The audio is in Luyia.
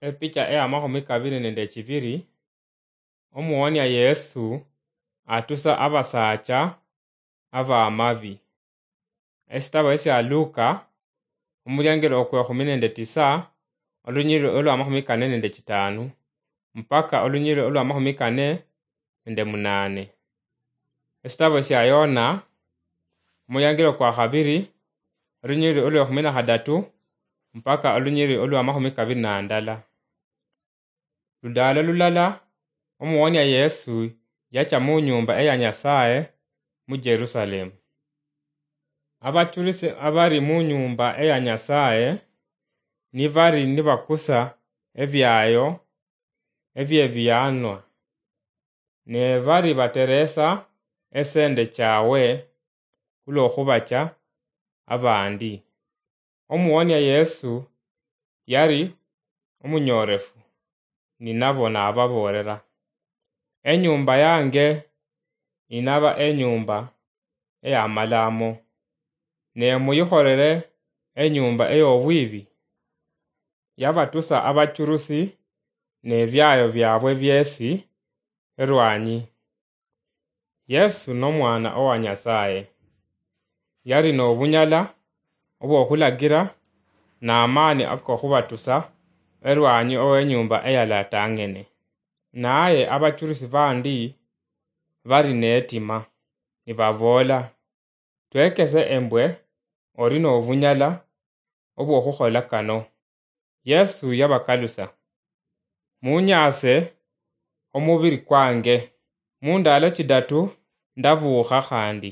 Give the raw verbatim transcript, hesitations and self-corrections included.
Epicha eya makhumi kabiri nende chibiri, omuwonia Yesu atusa abasaacha abamabi. Esitabo esia Luka, omuliangelo okwe khumi nende tisa, olunyiriri olwa makhumi kane nende chitanu, mpaka olunyiriri olwa makhumi kane nende munane. Esitabo sia Yona, omuliangelo kwa khabiri, olunyiriri olwa khumi na khadatu, mpaka olunyiriri olwa makhumi kabiri na ndala. Ludaalo lulala, omuwonia Yesu yacha mu nyumba eya Nyasaye mu Jerusalemu. Abachurisi abari mu nyumba eya Nyasaye nibari nibakusa ebiayo ebiebianwa, ne bari bateresa esende chawe khulwokhubacha abandi. Omuwonia Yesu yari omunyoorefu ninabo nababoolera, "Enyumba yange inaba enyumba eyamalamo, ne muyikholere enyumba eyobwibi." Yabatusa abachurusi nebiayo biabwe biesi erwanyi. Yesu n'Omwana owa Nyasaye. Yali n'obunyala obw'okhulagira n'amaani akokhubatusa erwanyi ow'enyumba eyalatang'ene. Naye abachurusi bandi bali netima, nibaboola, "Twekese embwe ori n'obunyala obw'okhukhola kano." Yesu yabakalusa, "Munyaase omubiri kwange, mu ndalo chidatu ndabuukha khandi."